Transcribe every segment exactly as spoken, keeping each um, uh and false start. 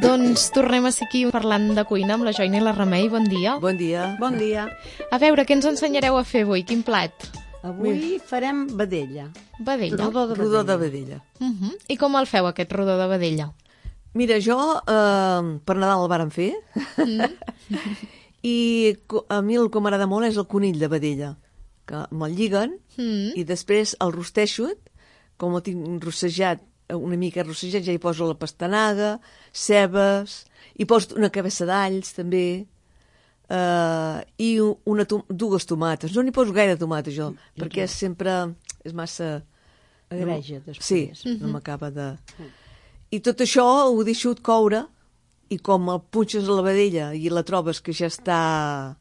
Doncs tornem a ser aquí parlant de cuina amb la Joina i la Remei. Bon dia. Bon dia. Bon dia. A veure, què ens ensenyareu a fer avui? Quin plat? Avui farem vedella. Vedella. Rodó de vedella. Rodó de vedella. Uh -huh. I com el feu, aquest rodó de vedella? Mira, jo eh, per Nadal el vàrem fer mm. i a mi el que m'agrada molt és el conill de vedella, que me'l lliguen mm. i després el rosteixo, com el tinc rossejat, una mica rossejat, ja hi poso la pastanaga, cebes, i poso una cabeça d'alls també, uh, i una tom dues tomates. No n'hi poso gaire tomata jo, mm. perquè sempre és massa... Agreja després. Sí, mm -hmm. no m'acaba de... Mm. I tot això ho deixo coure, i com el punxes a la vedella i la trobes que ja està...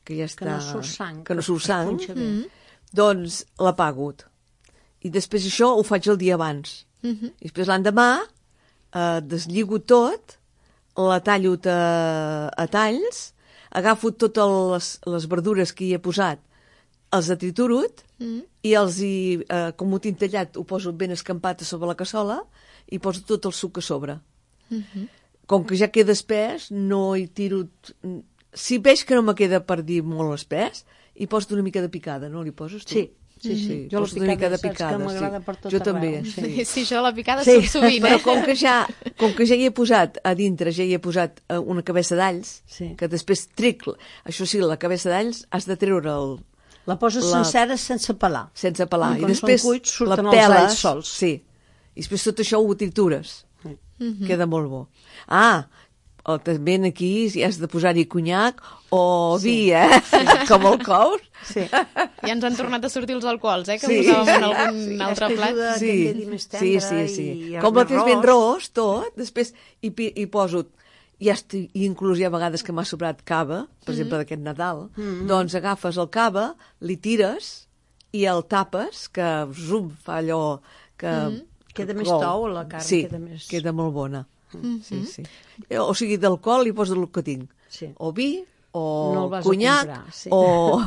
que ja està... Que no surt sang. Que no surt sang, mm. doncs l'apago. I després això ho faig el dia abans. Uh -huh. I després l'endemà eh, deslligo tot, la tallo a, a talls, agafo totes les, les verdures que hi he posat, els he triturut, uh -huh. i els hi, eh, com ho tinc tallat, ho poso ben escampat a sobre la cassola i poso tot el suc a sobre. Uh -huh. Com que ja queda espès, no hi tiro... Si veig que no me queda per dir molt espès, hi poso una mica de picada, no li poses tu? Sí. Sí, sí. Mm-hmm. Jo la picada, mica de picada, que m'agrada sí. per tot jo arreu. també. Sí, sí, això de la picada sí. surt sovint, eh? Però com que, ja, com que ja hi he posat a dintre, ja hi he posat una cabeça d'alls, sí. que després tric, això sí, la cabeça d'alls has de treure el... La poses la... sencera sense pelar. Sense pelar. I, I després cuits, la peles, sols. Sí. I després tot això ho tritures. Sí. Mm-hmm. Queda molt bo. Ah, o també aquí si has de posar-hi conyac o sí. vi, eh? Sí. Com el cous. Sí. Ja ens han tornat a sortir els alcohols, eh? Que sí. posàvem en algun sí. altre sí. plat. Sí. Que quedi més sí, sí, sí. Com la tens ben ros, tot, després hi, hi poso, i, estic, i inclús hi ha vegades que m'ha sobrat cava, per mm-hmm. exemple d'aquest Nadal, mm-hmm. doncs agafes el cava, li tires i el tapes, que zoom, fa allò que... Mm-hmm. Queda més tou, la carn sí, queda més... queda molt bona. Mm-hmm. Sí, sí. O sigui, d'alcohol hi poso el que tinc. Sí. O vi, o no conyac, comprar, sí. o,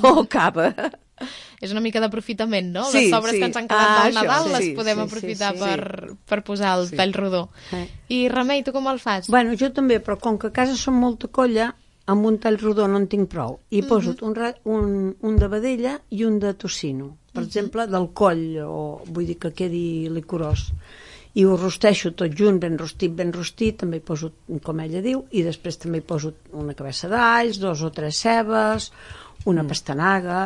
o cava. És una mica d'aprofitament, no? Sí, les sobres sí. que ens han quedat ah, del Nadal sí, les sí, podem sí, aprofitar sí, sí, per, sí. per posar el sí. tall rodó. Sí. I Remei, tu com el fas? Bueno, jo també, però com que a casa som molta colla, amb un tall rodó no en tinc prou. I mm-hmm. poso un, un, un de vedella i un de tocino. Per mm-hmm. exemple, del coll, o vull dir que quedi licorós. I ho rosteixo tot junt, ben rostit, ben rostit, també hi poso, com ella diu, i després també hi poso una cabeça d'alls, dos o tres cebes, una mm. pastanaga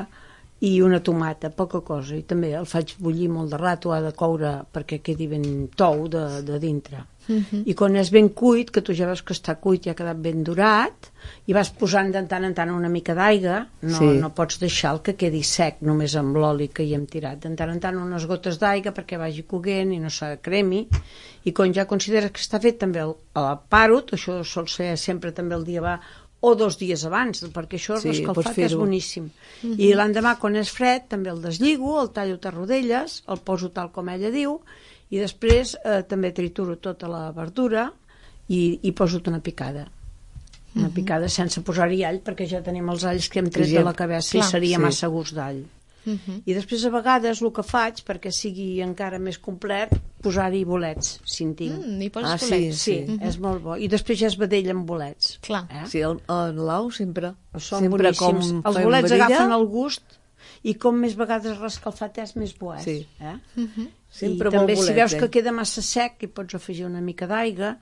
i una tomata, poca cosa. I també el faig bullir molt de rato, ha de coure perquè quedi ben tou de, de dintre. Mm-hmm. I quan és ben cuit, que tu ja veus que està cuit i ha quedat ben dorat, i vas posant de tant en tant una mica d'aigua, no, sí. no pots deixar el que quedi sec només amb l'oli que hi hem tirat, de tant en tant unes gotes d'aigua perquè vagi coguent i no s'acremi, i quan ja consideres que està fet també el, el paro, això sol ser sempre també el dia va o dos dies abans, perquè això sí, l'escalfat és boníssim. Mm-hmm. I l'endemà quan és fred també el deslligo, el tallo a rodelles, el poso tal com ella diu, i després eh, també trituro tota la verdura i, i poso una picada. Una picada uh-huh. sense posar-hi all, perquè ja tenim els alls que hem tret ja, de la cabeça clar, i seria sí. massa gust d'all. Uh-huh. I després a vegades el que faig, perquè sigui encara més complet, posar-hi bolets, si en tinc. Mm, hi poses ah, bolets? Sí, sí. Uh-huh. és molt bo. I després ja és vedella amb bolets. Clar. Eh? Sí, el, el Lau sempre. Són sempre boníssims. Els bolets vedella... agafen el gust i com més vegades rescalfat és, més bo és. Sí. Eh? Uh-huh. Sempre I també bolet, si veus eh? que queda massa sec hi pots afegir una mica d'aigua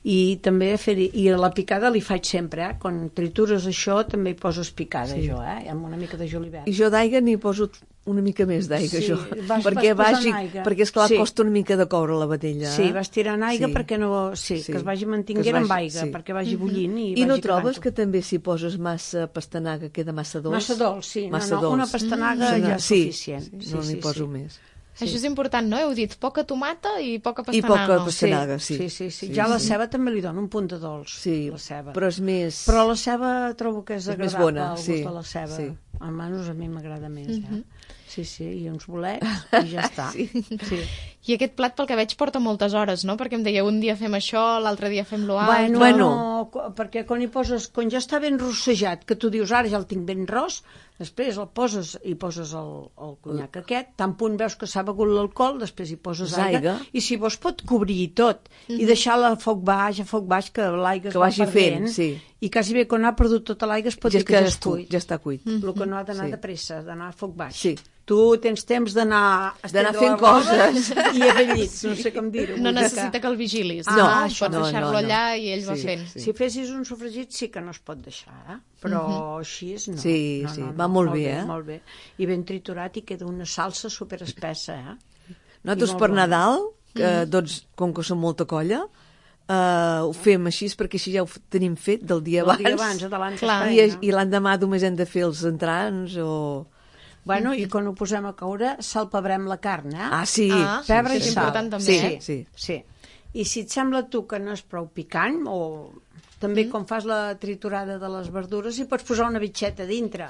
i també fer i a la picada li faig sempre, eh? Quan tritures això també hi poses picada sí. jo, eh? Amb una mica de julivert. I jo d'aigua n'hi poso una mica més d'aigua, sí, jo. Vas, perquè, vas vagi, perquè esclar sí. costa una mica de coure la vedella. Sí, vas tirant aigua sí. perquè no... Sí, sí, que es vagi mantinguent amb aigua, sí. perquè vagi bullint i, I vagi no trobes quedant... que també si poses massa pastanaga queda massa dolç? Massa dolç, sí. Massa no, no, dolç. una pastanaga mm. ja és sí. suficient. Sí, sí, no n'hi sí, poso sí. més. Sí. Això és important, no? Heu dit poca tomata i poca I pastanaga. poca pastanaga, sí. Sí, sí, sí. sí ja sí. La ceba també li dona un punt de dolç. Sí, la ceba. però és més... Però la ceba trobo que és, és agradable, més bona, el gust sí. de la ceba. Sí. Almenys a mi m'agrada més, mm-hmm. eh? Sí, sí, i uns bolets i ja està. sí. Sí. I aquest plat, pel que veig, porta moltes hores, no? Perquè em deia, un dia fem això, l'altre dia fem lo altre... Bueno, Bueno. no, perquè quan hi poses, quan ja està ben rossejat, que tu dius, ara ja el tinc ben ros, després el poses i poses el, el conyac aquest, tan punt veus que s'ha begut l'alcohol, després hi poses aigua, Aigua. i si vols pot cobrir tot, i deixar-la a foc baix, a foc baix, que l'aigua es Que va vagi perdent, fent, sí. i quasi bé quan ha perdut tota l'aigua es pot Ja, dir que ja és és cuit, cuit. ja està cuit. El que no ha d'anar Sí. de pressa, ha d'anar a foc baix. Sí. Tu tens temps d'anar a D'anar estendre fent la roba coses. i a fer llits, no sé com dir-ho. No vull dir necessita que el vigilis. Ah, no, això pots no, deixar-lo no, no. allà i ell va Sí, fent. sí. Si fessis un sofregit sí que no es pot deixar, eh? Però així és no. Sí, no, sí, no, no, va molt bé, eh? Molt bé. I ben triturat i queda una salsa superespessa, eh? Nosaltres I molt per bona. Nadal, que doncs, com que som molta colla, eh, ho fem així perquè així ja ho f- tenim fet del dia El abans. dia abans, de l'any que Clar. es I, feina. i l'endemà només hem de fer els entrants o... Bueno, i quan ho posem a caure, salpebrem la carn, eh? Ah, sí. Ah, Pebre és i sal. important també, Sí, eh? sí. Sí. I si et sembla a tu que no és prou picant, o també mm. quan fas la triturada de les verdures, hi pots posar una bitxeta a dintre.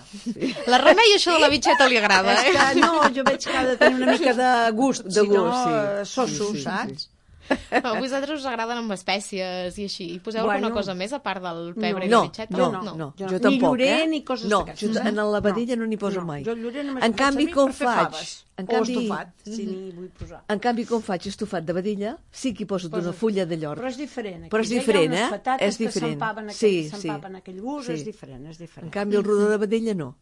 La Remei això de la bitxeta li agrada, És eh? que no, jo veig que ha de tenir una mica de gust, De si no, gust, sí. eh, soso, Sí, sí, saps? A vosaltres us agraden amb espècies i així. I poseu Bueno. alguna cosa més a part del pebre No, i la bitxeta? no, no, no, no, jo jo no. tampoc, Ni llorer eh? ni coses no, d'aquestes. jo, en la vedella no n'hi poso no, mai. jo el llorer només En el faig canvi, servir com per fer faig? faves. En O canvi, estofat, si n'hi vull posar. en canvi, com faig estofat de vedella, sí que hi poso d'una Poses- fulla de llor. Però és diferent. Aquí Però és ja hi ha diferent, unes eh? patates És diferent. que s'empaven aquell, Sí, sí. s'empaven aquell gust, Sí. és diferent, és En diferent. canvi, el rodó de vedella no.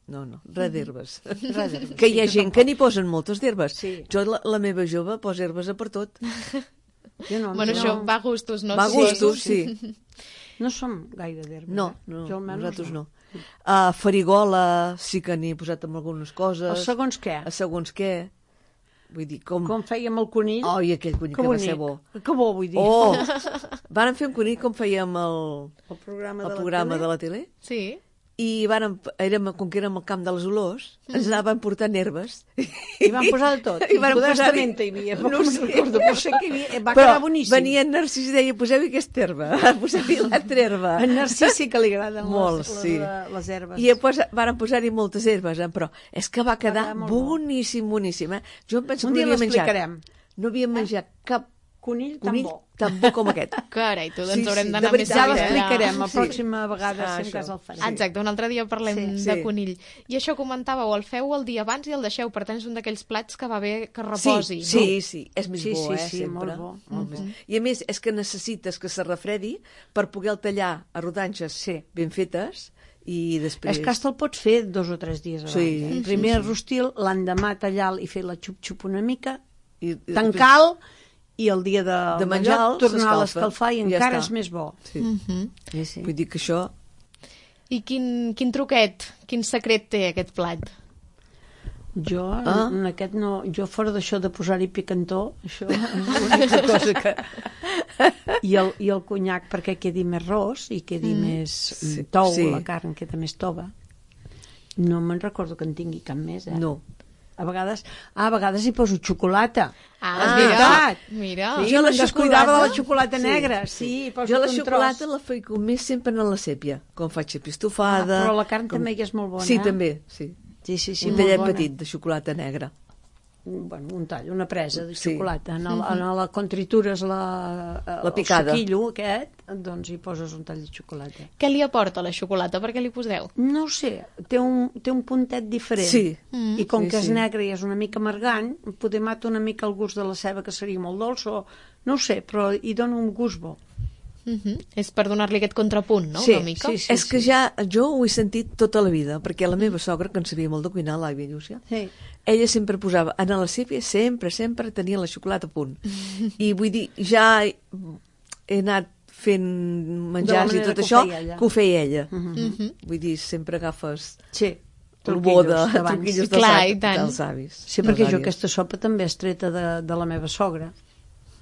No, no, res d'herbes. Res d'herbes, Que hi ha sí, jo gent que n'hi posen moltes d'herbes. Sí. Jo, la, la meva jove, posa herbes a per tot. Jo no, Bueno, jo això no, va a gustos, no? Va a Sí. gustos, sí. no som gaire d'herbes. No, eh? no, jo almenys nosaltres no. A farigola sí que n'hi he posat amb algunes coses. A segons què? A segons què. Vull dir, com... Com fèiem el conill. Oh, i aquell conill que, que va bonic. ser bo. Que bo, vull dir. Oh! Vàrem fer un conill com fèiem el, El programa el de la programa tele. de la tele Sí. i vàrem, érem, com que érem al camp de les olors, ens anaven portant herbes. I van posar de tot. I van Poder posar-hi- estamenta hi havia. No No ho sé. recordo, però sé que hi havia. Va Però quedar boníssim. venia en Narcís i deia, poseu-hi aquesta herba, poseu-hi l'altra herba. En Narcís sí que li agraden Molt, les, les, sí. les, les herbes. I després varen posar-hi moltes herbes, eh? Però és que va quedar quedar molt bo. boníssim, boníssim. Eh? Jo em penso Un que dia no havia menjat. l'explicarem. No havia menjat cap Conill tan conill bo. tan bo com aquest. Carai, tu, doncs Sí, haurem sí, d'anar de més veritat, Ja enllà. l'explicarem la Sí. pròxima vegada, Ah, si en això. cas el farem. Exacte, un altre dia parlem Sí, de sí. conill. I això comentàveu, el feu el dia abans i el deixeu, per tant és un d'aquells plats que va bé que reposi. Sí, sí, sí, és més Sí, bo, sí, eh, sí, sempre. molt bo, Molt més. I a més, és que necessites que se refredi per poder tallar a rodanxes Sí. ben fetes i després... És que hasta el pots fer dos o tres dies abans. Sí, eh? sí, Primer sí. el rostil, l'endemà tallar i fer la xup-xup una mica, I, i tancar i el dia de, De menjar-lo, tornar a s'escalfa. l'escalfar i Ja encara està. és més bo. Sí. Mhm. Sí, sí. Vull dir que això... I quin, quin truquet, quin secret té aquest plat? Jo, Ah. en aquest no, jo fora d'això de posar-hi picantó, això és l'única cosa que... I el, I el conyac perquè quedi més ros i quedi mm. més Sí, tou, sí. la carn queda més tova. No me'n recordo que en tingui cap més, eh? No. A vegades, ah, a vegades hi poso xocolata. Ah, És mira, veritat. mira. Sí, Jo la me'n descuidava de la xocolata- xocolata Sí. negra. Sí, hi poso Jo la un xocolata tros. la faig més sempre en la sèpia, com faig xapa Ah, estofada... però la carn com... també hi és molt bona. Sí, eh? també, sí. Sí, sí, sí, un molt tallet bona. petit de xocolata negra. Bueno, un tall, una presa de Sí. xocolata. En, el, en la quan tritures la, La picada. el suquillo aquest, doncs hi poses un tall de xocolata. Què li aporta la xocolata? Per què li poseu? No ho sé, té un, té un puntet diferent. Sí. Mm. I com Sí, que és sí. negre i és una mica amargant, poder mata una mica el gust de la ceba, que seria molt dolç, o no ho sé, però hi dona un gust bo. Mhm. És per donar-li aquest contrapunt, no? Sí, Una mica. sí, sí. És que ja jo ho he sentit tota la vida, perquè la meva sogra, que en sabia molt de cuinar, l'àvia Llúcia, Sí. ella sempre posava, en la sèpia sempre, sempre tenia la xocolata a punt. I vull dir, ja he he anat fent menjars i manera tot que ho això, feia ella. que ho feia ella. Mhm. Vull dir, sempre agafes Sí, el bo de truquillos d'abans. truquillos Clar, dels, i tant. dels avis. Sí, dels perquè jo àvies. aquesta sopa també és treta de, de la meva sogra.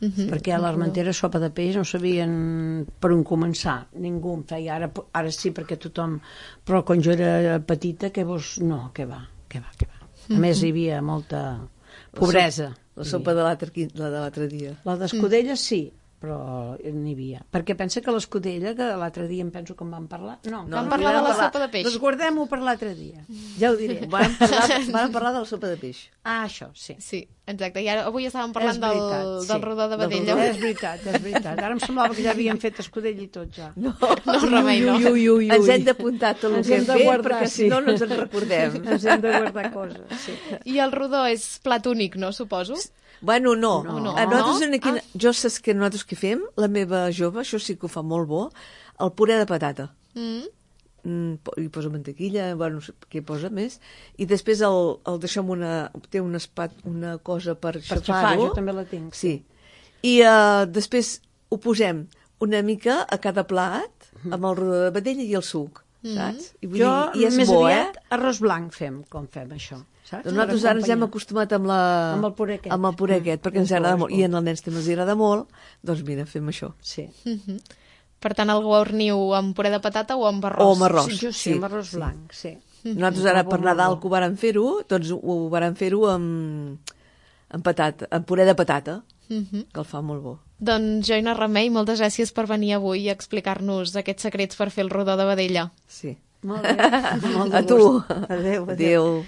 Mhm. Perquè a l'Armentera sopa de peix no sabien per on començar, ningú en feia, ara, ara sí perquè tothom, però quan jo era petita que vos... no, que va, que va, que va. A més hi havia molta pobresa. La sopa de l'altre qui- la de l'altre dia. La d'escudella sí, però n'hi havia. Perquè pensa que l'escudella, que l'altre dia em penso que en vam parlar... No, Vam parlar de la sopa de peix. Doncs guardem-ho per l'altre dia. Ja ho diré. Vam parlar, vam parlar de la sopa de peix. Ah, això, sí. Sí, exacte. I ara, avui estàvem parlant És veritat, del, sí. del rodó de Del vedella. rodó. És veritat, és veritat. Ara em semblava que ja havien fet escudella i tot, ja. No, No, remei, no. Ui, ui, ui, ui. ens hem d'apuntar tot el Ens que hem hem de fet, guardar, perquè sí. si no no ens en recordem. Ens hem de guardar coses, sí. I el rodó és plat únic, no, suposo? Bueno, no. No. A nosaltres No? aquí, Ah. jo saps que nosaltres què fem? La meva jove, això sí que ho fa molt bo, el puré de patata. Mm. Mm, po- hi posa mantequilla, bueno, no sé què hi posa més, i després el, el deixem una... té una, espat, una cosa per, Per xafar, xafar-ho. jo també la tinc. Sí. I uh, després ho posem una mica a cada plat, amb el rodó de vedella i el suc, saps? I, vull Jo, dir, i és més bo, aviat, eh? arròs blanc fem, com fem això. Saps? Doncs nosaltres Per ara ens hem acompanyar. acostumat amb, la... Amb el puré aquest. amb el puré aquest, perquè ens És bo, agrada és molt. bo. I en els nens també els agrada molt, doncs mira, fem això. Sí. Mhm. Per tant, el guarniu amb puré de patata o amb arròs? O amb arròs. Sí, jo sí, sí, amb arròs sí. blanc, sí. Nosaltres ara Molt per bo, Nadal molt que ho vàrem fer-ho, doncs ho vàrem fer-ho amb, amb patata, amb puré de patata, Mhm. que el fa molt bo. Doncs, Joina Remei, moltes gràcies per venir avui i explicar-nos aquests secrets per fer el rodó de vedella. Sí. Molt bé. Molt de A tu. gust. Adéu, adéu. Adéu.